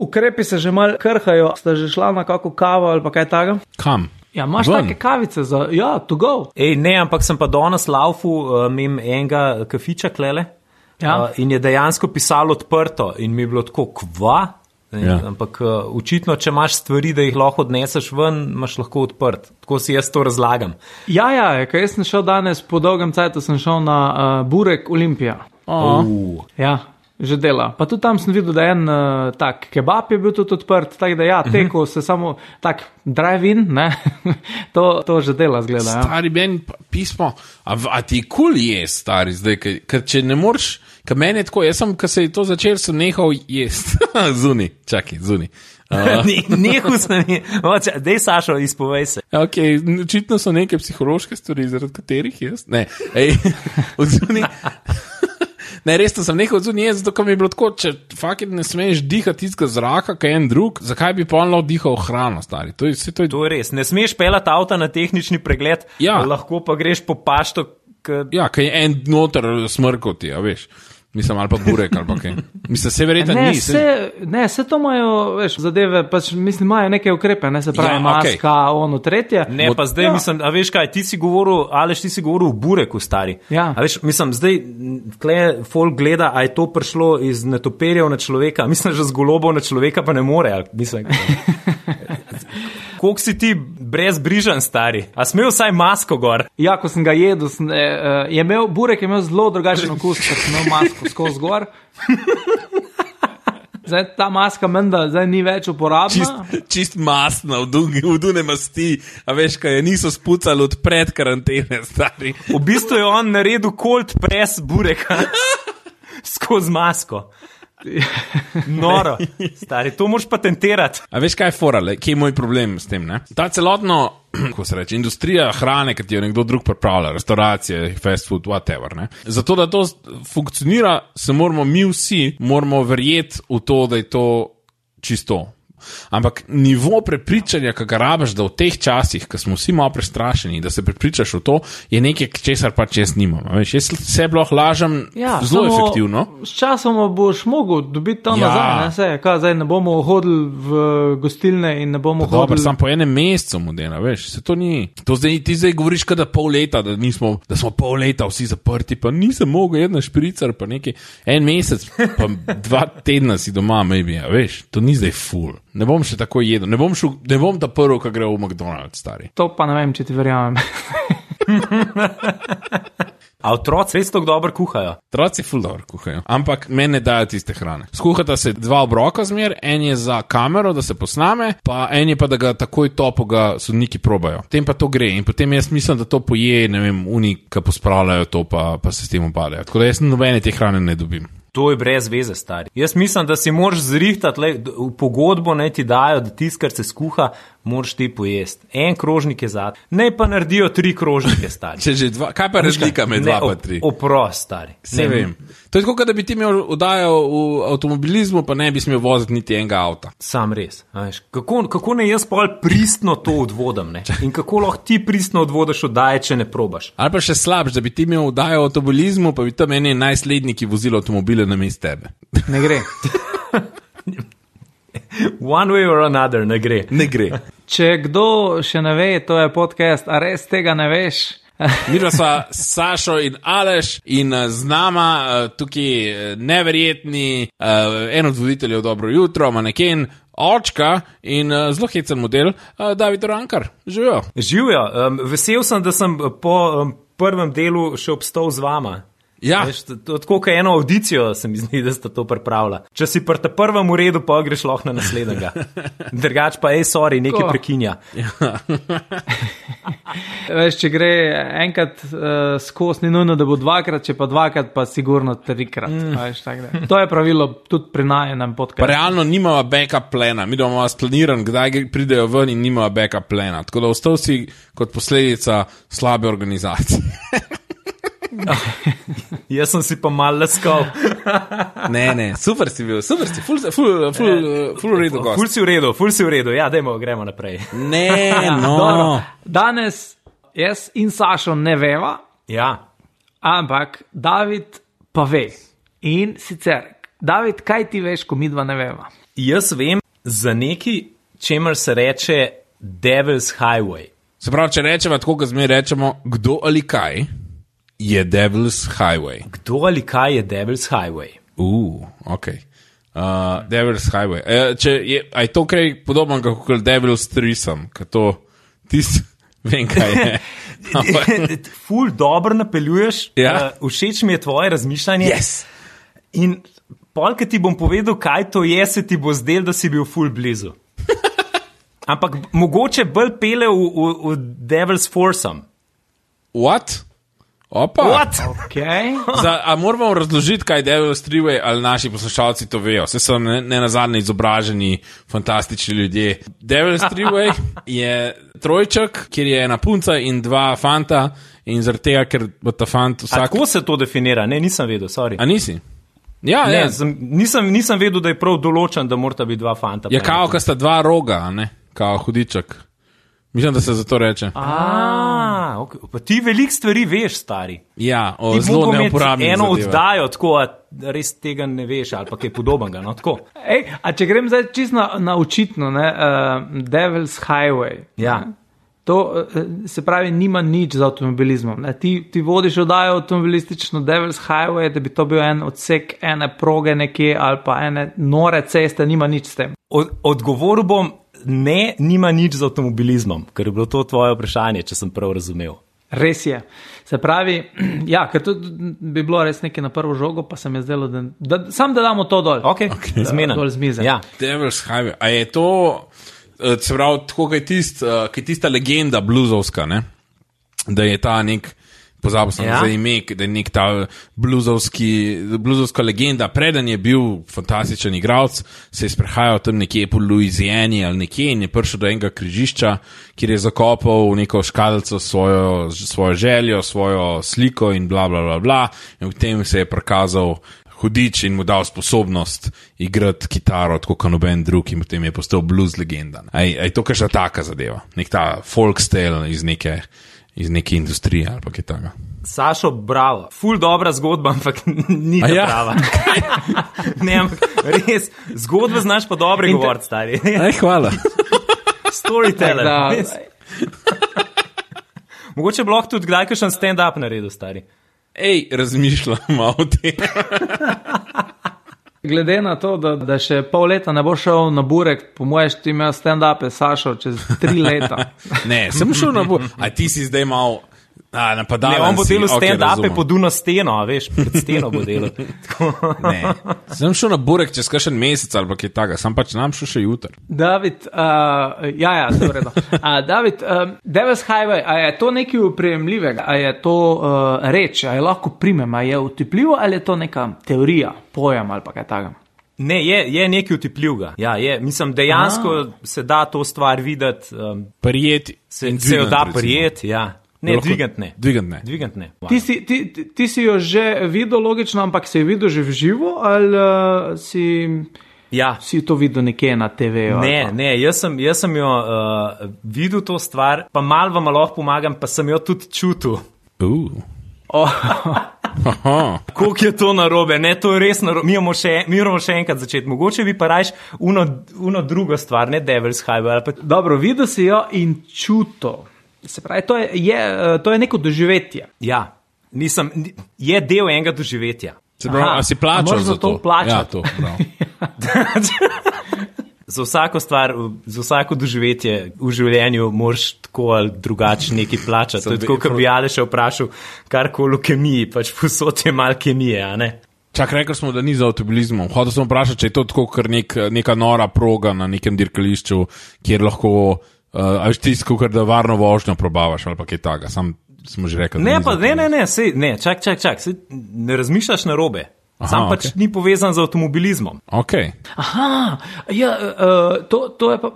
Ukrepi se že malo krhajo, ste že šla na kako kavo ali pa kaj takega? Kam? Ja, imaš take kavice za, to go. Ne, ampak sem pa danes laufu mim enega kafiča klele in je dejansko pisalo odprto in mi je bilo tako, kva? Ampak očitno, če imaš stvari, da jih lahko odneseš ven, imaš lahko odprt. Tako si jaz to razlagam. Ja, ker jaz sem šel danes, po dolgem cajtu sem šel na Burek Olimpija. Ja. Že dela. Pa tudi tam sem videl, da en tak kebab je bil tudi odprt, tako da teko se samo tak drive-in, ne, to že dela zgleda. Stari meni pismo, a ti cool je stari zdaj, ker če ne moreš, ker meni je tako, jaz sem, ker se je to začel, sem nehal jest. Zuni. Nehal sem, dej Sašo, izpovej se. Ok, očitno so neke psihološke stvari, zaradi katerih jaz, ne, odzuni. Ne, resno sem nekaj odzunil, zato ko mi je bilo tako, če fucking ne smeš dihati tistega zraka, kaj en drug, zakaj bi polno dihal hrano, stari? To je res, ne smeš pelati avta na tehnični pregled, lahko pa greš po pašto. Ja, kaj je en noter smrkoti, veš. Mislim, ali pa burek, ali pa kaj. Mislim, se verjetno ni. Ne, se to imajo, veš, zadeve, pač mislim, imajo neke ukrepe, ne se pravi maska, tretje. Ne, pa zdaj mislim, a veš kaj, ti si govoril o bureku, stari. Ja. A veš, mislim, zdaj, tle folk gleda, a je to prišlo iz netopirjev na človeka, mislim, že z golobov na človeka pa ne more, mislim. Koliko si ti brezbrižen, stari? A smel vsaj masko gor? Ja, ko sem ga jedel, burek je imel zelo drugačen okus, ker sem imel masko skozi gor. Zdaj ta maska menda zdaj ni več uporabna. Čist masna, v dune masti, a veš, kaj niso spucali od pred karantene, stari. V bistvu je on naredil cold press bureka skozi masko. Noro, stari, to moraš patentirati. A veš, kaj je fora, kje je moj problem s tem, ne? Ta celotno, ko se reče, industrija hrane, ki ti jo nekdo drug pripravlja, restauracije, fast food, whatever, ne? Zato, da to funkcionira, se moramo mi vsi, verjeti v to, da je to čisto. Ampak nivo prepričanja, ki ga rabiš, da v teh časih, ko smo vsi malo prestrašeni, da se prepričaš v to, je nekaj, česar pač jaz nimam. Veš, jaz se lahko lažem zelo efektivno. S časom boš mogel dobiti tam nazaj, zdaj ne bomo hodili v gostilne in ne bomo hodili. Dobar, sam po enem mesecu modela, veš, se to ni. To ti zdaj govoriš, da pol leta, da smo pol leta vsi zaprti, pa nisem mogel jedna špricar, pa nekaj, en mesec, pa 2 tedna si doma, maybe, veš, to ni zdaj full. Ne bom še tako jedel, ne bom ta prvo, ko gre v McDonald's, stari. To pa ne vem, če ti verjamem. A otroci res tako dobro kuhajo? Otroci ful dobro kuhajo, ampak meni ne dajo tiste hrane. Skuhata se 2 obroka zmer, en je za kamero, da se posname, pa en je pa, da ga takoj topo ga sodniki probajo. Potem pa to gre in potem jaz mislim, da to poje, ne vem, ki pospravljajo to, pa se s tem upadajo. Tako da jaz nobene te hrane ne dobim. To je brez veze, stari. Jaz mislim, da si moraš zrihtati, v pogodbo ne ti dajo, da tisto, kar se skuha, moraš ti pojesti. En krožnik je zad. Ne pa naredijo 3 krožnike, stari. Če že 2, kaj pa razlika med 2 pa 3? Oprost, stari. Se vem. To je tako, da bi ti imel oddajo v avtomobilizmu, pa ne bi smel voziti niti enega avta. Sam res. Kako ne jaz pol pristno to odvodam, ne? In kako lahko ti pristno odvodaš oddaje, če ne probaš? Ali pa še slabš, da bi ti imel oddajo v avtomobilizmu, pa bi tam eni najsledniki vozili avtomobile namesto tebe. Ne gre. One way or another, ne gre. Ne gre. Če kdo še ne ve, to je podcast, a res tega ne veš? Midva sva Sašo in Aleš in z nama tukaj neverjetni, en od voditeljev Dobro jutro, maneken, očka in zelo hecen model, David Rankar. Živijo. Živijo. Vesel sem, da sem po prvem delu še obstal z vama. Ja. Veš, tako kot eno audicijo se mi zdi, da sta to pripravila. Če si pri prvem uredu, pa greš lahko na naslednjega. Drugač pa, sorry, nekaj prekinja. Ja. Veš, če gre enkrat skozi, ni nujno, da bo 2-krat, če pa 2-krat, pa sigurno 3-krat. Veš, to je pravilo tudi pri najenem podcastu. Pa realno nimava backup plana. Mi imamo splaniran, kdaj pridejo ven in nimava backup plana. Tako da ostal si kot posledica slabe organizacije. Jaz sem si pa mal leskal. Ne, super si bil, ful v redu gost. Ful si v redu, ja, gremo naprej. Ne, no. Dobro. Danes jaz in Sašo ne veva, ja. Ampak David pa ve. In sicer, David, kaj ti veš, ko midva ne veva? Jaz vem za neki, čemer se reče Devil's Highway. Se pravi, če rečemo tako, kot zmeraj rečemo, kdo ali kaj je Devil's Highway. Kdo ali kaj je Devil's Highway? Ok. Devil's Highway. Je to kaj podobno kot Devil's Threesome, ker to tisti, vem kaj je. Ful dobro napeljuješ, všeč mi je tvoje razmišljanje. Yes. In polk ti bom povedal, kaj to je, se ti bo zdel, da si bil ful blizu. Ampak mogoče bolj pele v Devil's Foursome. What? Opa. What? Okay. A moramo razložiti, kaj je Devil's Three-Way, ali naši poslušalci to vejo. Vse so ne nazadnje izobraženi, fantastični ljudje. Devil's Three-Way je trojček, kjer je ena punca in dva fanta in zaradi tega, ker bo ta fant vsak... A tako se to definira? Ne, nisem vedel, sorry. A nisi? Ja, ne, nisem vedel, da je prav določen, da morata biti dva fanta. Ja, kao, ka sta dva roga, ne? Kao hudiček. Mislim, da se za to reče. Okay. Pa ti veliko stvari veš, stari. Ja, zelo neuporabnih eno zadeva. Oddajo, tako, res tega ne veš, ali pa kaj podobnega, no, tako. A če grem zdaj čisto na očitno, Devil's Highway. Ja. To se pravi, nima nič z avtomobilizmom. Ti vodiš oddajo avtomobilistično Devil's Highway, da bi to bil en odsek ene proge nekje ali pa ene nore ceste, nima nič s tem. Odgovoril bom, ne, nima nič z avtomobilizmom, ker je bilo to tvoje vprašanje, če sem prav razumel. Res je. Se pravi, ja, ker to bi bilo res nekaj na prvo žogo, pa se mi je zdelo, sam da damo to dol. Ok, zmena. Dol z mize. Ja. Devil's Highway. A je to, se pravi, tako kaj tista legenda bluzovska, ne? Da je ta nek, pozabil sem za ime, da je nek ta bluzovska legenda. Preden je bil fantastičen igralec, se je sprehajal tam nekje po Louisiani ali nekje in je prišel do enega križišča, kjer je zakopal v neko škatlico svojo željo, svojo sliko in bla, bla, bla, bla. In v tem se je prikazal hudič in mu dal sposobnost igrati kitaro, tako kot noben drug, in potem je postal blues legenda. Je to kakšna taka zadeva? Nek ta folk style iz neke industrije ali pa kaj takega. Sašo, bravo. Ful dobra zgodba, ampak ni ta prava. Ne, ampak res, zgodbe znaš pa dobre govoriti, stari. Hvala. Storyteller. Mogoče bi lahko tudi kdaj kakšen stand-up naredil, stari. Razmišljam o tem. Glede na to, da še pol leta ne bo šel na burek, po moje ti imel stand-upe, Sašo, čez 3 leta. Ne, sem šel na burek. A ti si zdaj mal napadalen. Ne, on bo delal stand-upe pod uno steno, veš, pred steno bo delal. Ne, sem šel na burek čez kakšen mesec ali pa kaj takega, sam pač nam šel še jutr. David, se v redu. David, Devil's Highway, a je to nekaj uprejemljivega, a je to reč, a je lahko primem, a je utepljivo ali je to neka teorija, pojem ali pa kaj takega? Ne, je nekaj utepljivega. Ja, mislim, dejansko se da to stvar videti. Prijeti. Se jo da prijeti, ja. Ne, dvigant ne. Wow. Ti si jo že videl, logično, ampak si jo videl že v živo ali si to videl nekje na TV-u? Ne, jaz sem jo videl to stvar, pa malo vam lahko pomagam, pa sem jo tudi čutil. Koliko je to narobe? Ne, to je res narobe. Mi moramo še enkrat začeti. Mogoče bi pa rajš uno drugo stvar, ne Devil's Highway. Dobro, videl si jo in čutil. Se pravi, to je neko doživetje. Ja, je del enega doživetja. Se pravi, a si plačal za to? Plačati. Ja, to, Za vsako stvar, za vsako doživetje v življenju moraš tako ali drugače nekaj plačati. To je tako, kot bi Jade še vprašal karkoli o kemiji, pač posod je malo kemije, a ne? Čak, rekli smo, da ni za avtomobilizmom. Hotel sem vprašati, če je to tako, kar neka nora proga na nekem dirkališču, kjer lahko ali tisko, kar da varno vožnjo probavaš ali pa kaj takega. Smo že rekli, ne, čak, ne razmišljaš narobe. Sam pač ni povezan z avtomobilizmom. Okay. Aha, ja, to je pa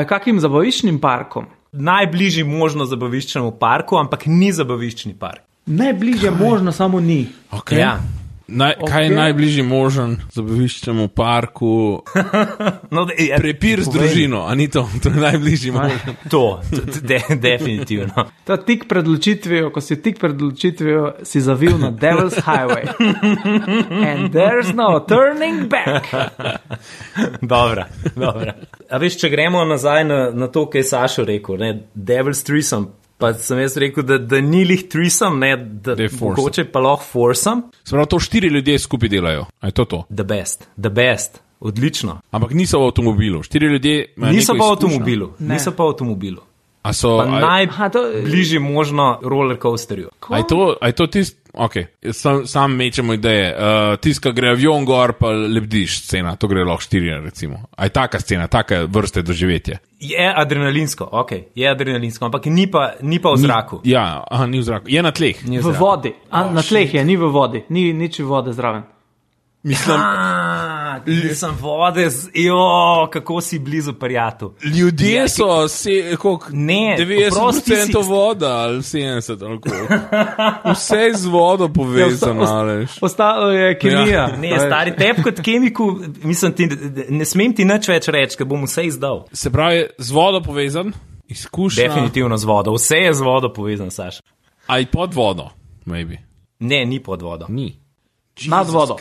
kakim zabaviščnim parkom? Najbližji možno zabaviščnemu parku, ampak ni zabaviščni park. Najbližje možno, samo ni. Okay. Ja. Kaj je najbližji možen zabaviščem v parku? Prepir z družino, a ni to? To je najbližji možen. To definitivno. To tik pred odločitvijo, ko si tik pred odločitvijo, si zavil na Devil's Highway. And there's no turning back. Dobra. A veš, če gremo nazaj na to, kaj je Sašo rekel, ne? Devil's Threesome. Pa sem jaz rekel, da ni lih threesome, ne, da mogoče pa lahko foursome. Spravo to 4 ljudje skupaj delajo. A je to? The best. Odlično. Ampak niso v avtomobilu. 4 ljudje niso pa v avtomobilu. A so najbližji možno roller coasterju. A je to tist? Ok, sam mečemo ideje. Tist, ko gre avion gor, pa lebdiš scena, to gre lahko 4, recimo. A je taka scena, taka vrste doživetje? Je adrenalinsko, ampak ni pa v zraku. Ni v zraku. Je na tleh. V vodi. Na tleh je, ni v vodi. Ni nič vode zraven. Mislim, sem vode, kako si blizu prijatu. Ljudje so, ne, 90% voda ali 70%, ali koliko. Vse je z vodo povezano. Ostalo je kemija. Ne, stari, tep kot kemiku, mislim, ne smem ti nič več reči, ker bom vse izdal. Se pravi, z vodo povezan, izkušnja. Definitivno z vodo, vse je z vodo povezan, Saša. A je pod vodo, maybe? Ne, ni pod vodo. Ni. Nad vodo.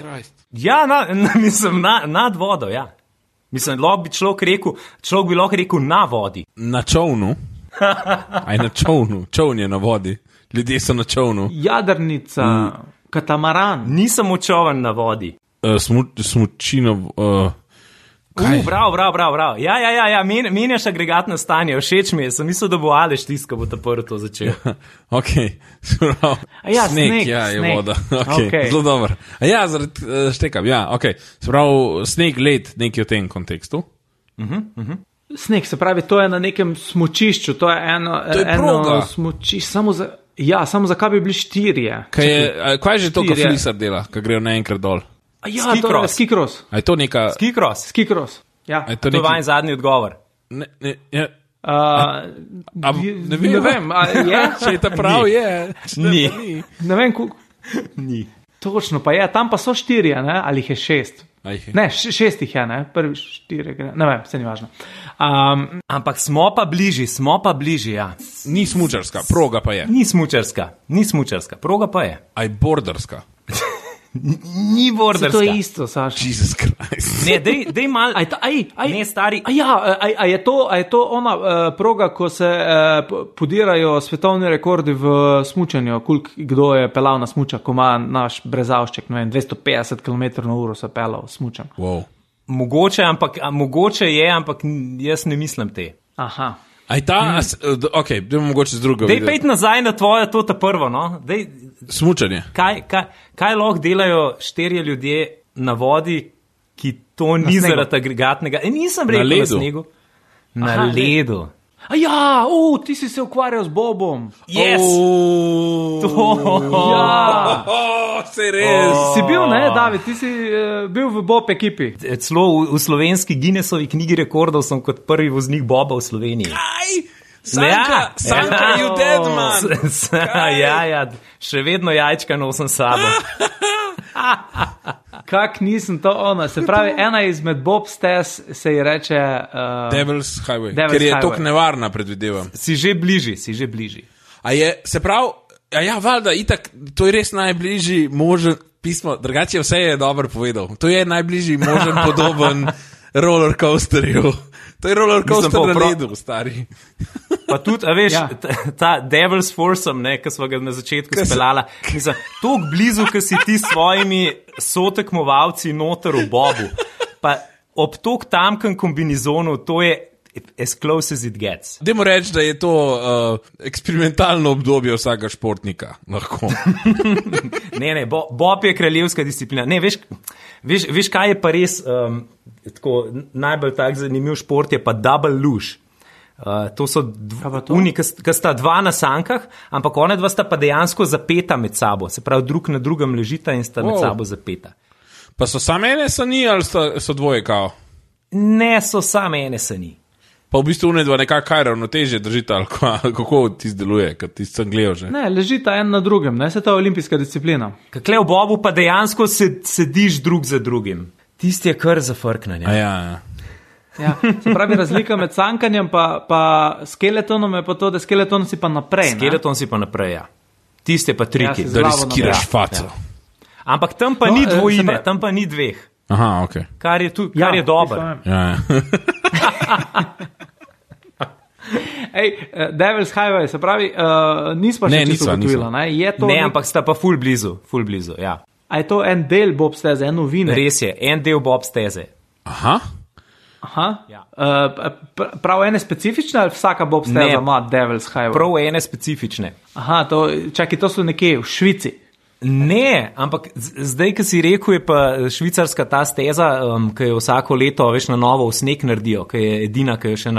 Ja, mislim, nad vodo, ja. Mislim, človek bi lahko rekel na vodi. Na čovnu? Aj na čovnu. Čovn je na vodi. Ljudje so na čovnu. Jadrnica, katamaran. Nisem čovn na vodi. Smučino... Bravo. Ja, menjaš agregatno stanje, všeč mi je, sem mislil, da bo Aleš tiska, bo ta prvo to začel. Ok, sneg, je voda. Okay. Zelo dobro. Štekam, ok. Sprav, sneg, led, nekaj v tem kontekstu. Sneg, se pravi, to je na nekem smučišču, to je eno smučišče, samo za kaj bi bili 4? Kaj je že to, ko flisar dela, ko grejo naenkrat dol? Skikros. A je to neka... Skikros, ja. To je vajen zadnji odgovor. Ne vem, je? Če je ta prav, je. Ni. Ne vem, Ni. Točno, pa je, tam pa so 4, ne? Ali jih je 6? Ne, 6 jih je, ne? Prvi 4, ne vem, se ni važno. Ampak smo pa bližji, ja. Ni smučarska, proga pa je. Ni smučarska, proga pa je. A je borderska? Ni borderska. To je isto, Saša. Jesus Christ. Ne, dej mal. Ne, stari. A je to ona proga, ko se podirajo svetovni rekordi v smučanju, kdo je pelal na smuča, ko ima naš brezavšček, ne vem, 250 km/h se pelal smučan. Wow. Mogoče je, ampak jaz ne mislim te. Aha. Aj ta, ok, dajmo mogoče z drugega. Dej pejt nazaj na tvoje, to ta prvo, no. Smučanje. Kaj lahko delajo 4 ljudje na vodi, ki to ni zaradi agregatnega? Nisem rekel na snegu. Na ledu. Ti si se ukvarjal z Bobom. Yes! Se res. Si bil, ne, David, ti si bil v Bob ekipi. Celo v slovenski Guinnessovi knjigi rekordov sem kot prvi voznik Boba v Sloveniji. Kaj? Sanka, you dead, man. Ja, še vedno jajčka nosim sabo. Kak nisem to ona, se pravi, ena izmed Bob stez se ji reče Devil's Highway, ker je tok nevarna, predvidevam. Si že bližji. A je, se pravi, valjda, itak, to je res najbližji možen pismo, drugače vse je dobro povedal. To je najbližji možen podoben roller coasterju. To je roller coaster na ledu, stari. Pa tudi, a veš, ta Devil's Foursome, ne, ki smo ga na začetku speljala, mislim, toliko blizu, ki si ti s svojimi sotekmovalci noter v Bobu, pa ob toliko tamkem kombinizonu, to je as close as it gets. Dajmo reči, da je to eksperimentalno obdobje vsakega športnika, lahko. Ne, Bob je kraljevska disciplina. Ne, veš, kaj je pa res tako najbolj tak zanimiv šport, je pa double luge. To so ki sta dva na sankah, ampak one dva sta pa dejansko zapeta med sabo, se pravi drug na drugem ležita in sta med sabo zapeta. Pa so same ene sani ali so dvoje kao? Ne, so same ene sani. Pa v bistvu unedva nekako kaj ravnotežje držita, ali kako ti zdeluje, kad ti sem gledal že. Ne, ležita en na drugem, ne, se to je olimpijska disciplina. Kakle v bobu pa dejansko sediš drug za drugim. Tisti je kar zafrknanje. Ja. Ja, se pravi, razlika med sankanjem pa skeletonom je pa to, da skeleton si pa naprej. Skeleton si pa naprej, ja. Tisti je pa triki. Da riskiraš faco. Ja. Ampak tam pa ni dvojine, tam pa ni dveh. Aha, ok. Kar je dobro. Ja. Ej, Devil's Highway, se pravi, nismo še čisto ugotovila, ne? Ne, ampak sta pa ful blizu, ja. A je to en del bob steze, en novine? Res je, en del bob steze. Aha. Ja. Prav ene specifične ali vsaka bob steza ima Devil's Highway? Prav ene specifične. Aha, to so nekje v Švici. Ne, ampak zdaj, ki si rekel, je pa švicarska ta steza, ki jo vsako leto veš na novo v sneg naredijo, ki je edina, ki je še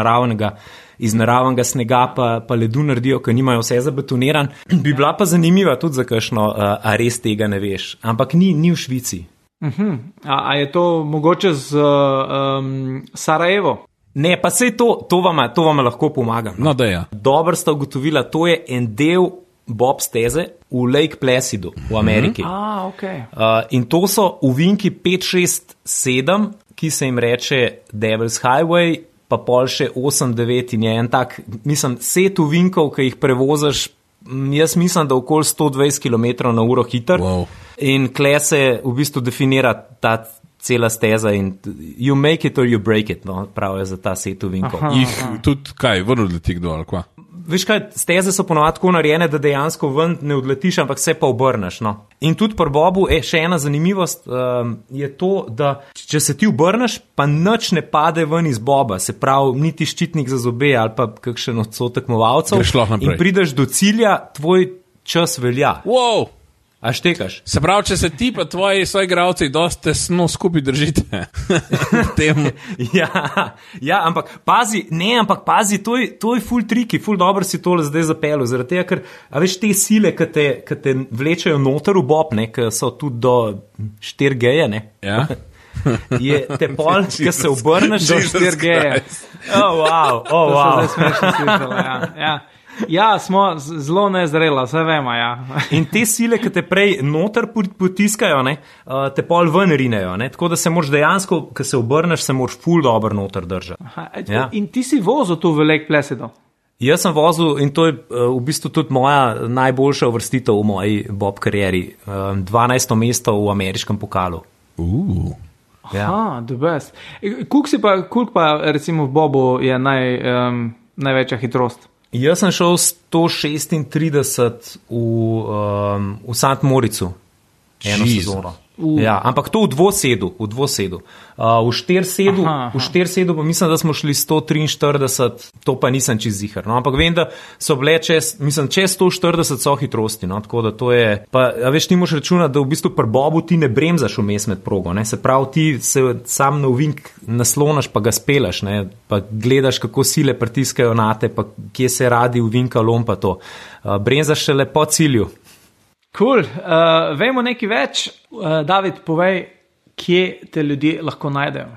iz naravnega snega pa ledu naredijo, ki nimajo vse zabetoniran. Bi bila pa zanimiva tudi za kakšno, a res tega ne veš. Ampak ni v Švici. A je to mogoče z Sarajevo? Ne, pa sej to vam lahko pomagam. No, da ja. Dobro sta ugotovila, to je en del bob steze v Lake Placidu v Ameriki. Okay. In to so uvinki 5, 6, 7, ki se jim reče Devil's Highway, pa pol še 8, 9 in je en tak, mislim, set uvinkov, ki jih prevozaš, jaz mislim, da okoli 120 km/h hiter. Wow. In kle se v bistvu definira ta cela steza in you make it or you break it, no, prav je za ta set uvinkov. Tudi kaj, ven odleti kdo ali kva? Veš kaj, steze so ponovadi tako narejene, da dejansko ven ne odletiš, ampak se pa obrneš. No. In tudi pri bobu še ena zanimivost je to, da če se ti obrneš, pa nič ne pade ven iz boba, se pravi, niti ščitnik za zobe ali pa kakšen odsto tekmovalcev in prideš do cilja, tvoj čas velja. Wow! A štekaš? Se pravi, če se ti pa tvoji soigralci dosti tesno skupaj držite. ja, ampak pazi, to je ful triki, ful dobro si tole zdaj zapelil, zaradi tega, ker, a veš, te sile, ki te vlečejo noter v bob, ne, ki so tudi do 4 geje, ne? Ja. Je te pol, ki se obrneš do 4 geje. Wow. To so zdaj smešno slišala, ja. Ja, smo zelo nezrela, vse vemo, ja. In te sile, ki te prej noter potiskajo, ne, te pol ven rinejo, ne, tako da se moraš dejansko, ko se obrneš, se moraš ful dobro noter držati. Ja. In ti si vozil tu v Lake Placidu? Jaz sem vozil in to je v bistvu tudi moja najboljša uvrstitev v moji bob karieri. 12. mesto v ameriškem pokalu. Ja. The best. Koliko pa recimo v bobu je največja hitrost? Jaz sem šel 136 v St. Moricu eno sezono. Ja, ampak to v dvosedu. V štirsedu pa mislim, da smo šli 143, to pa nisem čez zihar. No, ampak vem, da so bile čez 140 so hitrosti, no, tako da to je, pa veš, ti moraš računati, da v bistvu pri bobu ti ne bremzaš vmes med progo, ne, se pravi, ti se sam na ovink naslonaš, pa ga spelaš, ne, pa gledaš, kako sile pritiskajo nate, pa kje se radi ovinka lom, pa to. Bremzaš šele po cilju. Cool. Vemo nekaj več. David, povej, kje te ljudje lahko najdejo?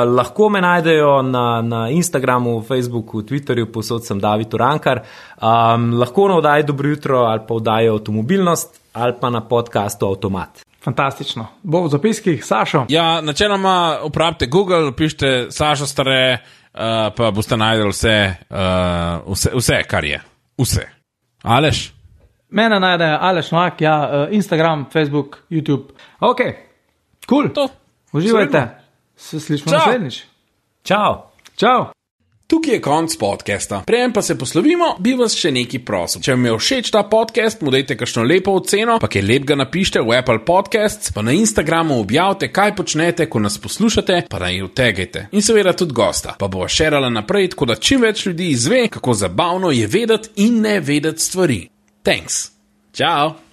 Lahko me najdejo na Instagramu, Facebooku, Twitterju, posod sem David Urankar. Lahko na oddaji Dobro jutro ali pa oddaji Avtomobilnost ali pa na podcastu Avtomat. Fantastično. Bo v zapiskih, Sašo? Ja, načeloma uporabite Google, pišite Sašo Stare, pa boste najdeli vse, kar je. Vse. Aleš? Mene najde Aleš Novak, ja, Instagram, Facebook, YouTube. Ok, cool. Uživajte. Se slišimo naslednjič. Čau. Tukaj je konc podcasta. Preden pa se poslovimo, bi vas še nekaj prosil. Če vam je všeč ta podcast, mu dajte kakšno lepo oceno, pa kaj lepega napište v Apple Podcasts, pa na Instagramu objavite, kaj počnete, ko nas poslušate, pa naj jo tagajte. In seveda tudi gosta, pa bo šerala naprej, tako da čim več ljudi izve, kako zabavno je vedeti in ne vedeti stvari. Thanks. Ciao.